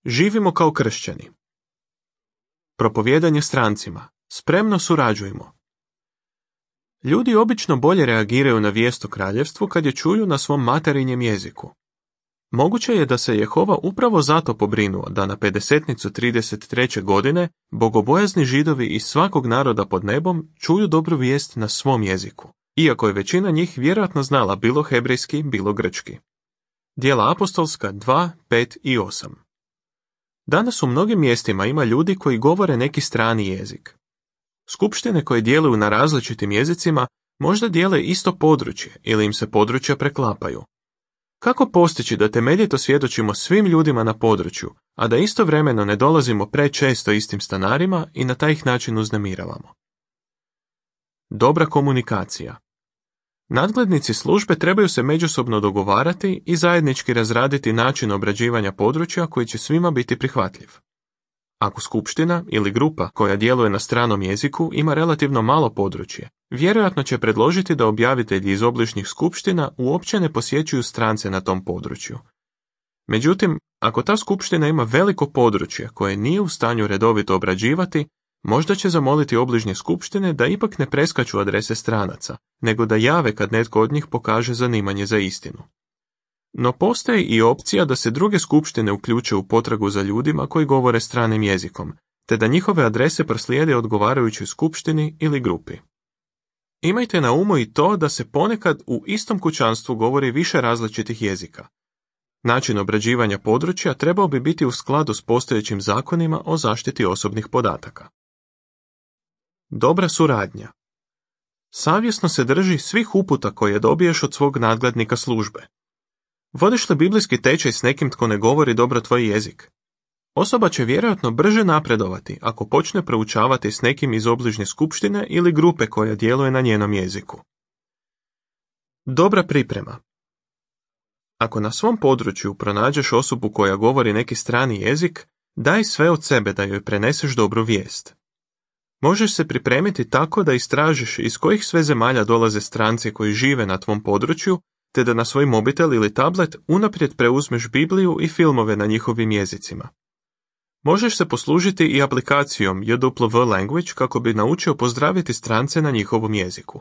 Živimo kao kršćani. Propovijedanje strancima. Spremno surađujmo. Ljudi obično bolje reagiraju na vijest o kraljevstvu kad je čuju na svom materinjem jeziku. Moguće je da se Jehova upravo zato pobrinuo da na 50-nicu 33. godine bogobojazni Židovi iz svakog naroda pod nebom čuju dobru vijest na svom jeziku, iako je većina njih vjerojatno znala bilo hebrejski, bilo grčki. Djela apostolska 2, 5 i 8. Danas u mnogim mjestima ima ljudi koji govore neki strani jezik. Skupštine koje djeluju na različitim jezicima možda dijele isto područje ili im se područja preklapaju. Kako postići da temeljito svjedočimo svim ljudima na području, a da istovremeno ne dolazimo prečesto istim stanarima i na taj ih način uznemiravamo? Dobra komunikacija. Nadglednici službe trebaju se međusobno dogovarati i zajednički razraditi način obrađivanja područja koji će svima biti prihvatljiv. Ako skupština ili grupa koja djeluje na stranom jeziku ima relativno malo područje, vjerojatno će predložiti da objavitelji iz obližnjih skupština uopće ne posjećuju strance na tom području. Međutim, ako ta skupština ima veliko područje koje nije u stanju redovito obrađivati, možda će zamoliti obližnje skupštine da ipak ne preskaču adrese stranaca, nego da jave kad netko od njih pokaže zanimanje za istinu. No postoji i opcija da se druge skupštine uključe u potragu za ljudima koji govore stranim jezikom, te da njihove adrese proslijede odgovarajućoj skupštini ili grupi. Imajte na umu i to da se ponekad u istom kućanstvu govori više različitih jezika. Način obrađivanja područja trebao bi biti u skladu s postojećim zakonima o zaštiti osobnih podataka. Dobra suradnja. Savjesno se drži svih uputa koje dobiješ od svog nadglednika službe. Vodiš li biblijski tečaj s nekim tko ne govori dobro tvoj jezik? Osoba će vjerojatno brže napredovati ako počne proučavati s nekim iz obližnje skupštine ili grupe koja djeluje na njenom jeziku. Dobra priprema. Ako na svom području pronađeš osobu koja govori neki strani jezik, daj sve od sebe da joj preneseš dobru vijest. Možeš se pripremiti tako da istražiš iz kojih sve zemalja dolaze stranci koji žive na tvom području, te da na svoj mobitel ili tablet unaprijed preuzmeš Bibliju i filmove na njihovim jezicima. Možeš se poslužiti i aplikacijom JW Language kako bi naučio pozdraviti strance na njihovom jeziku.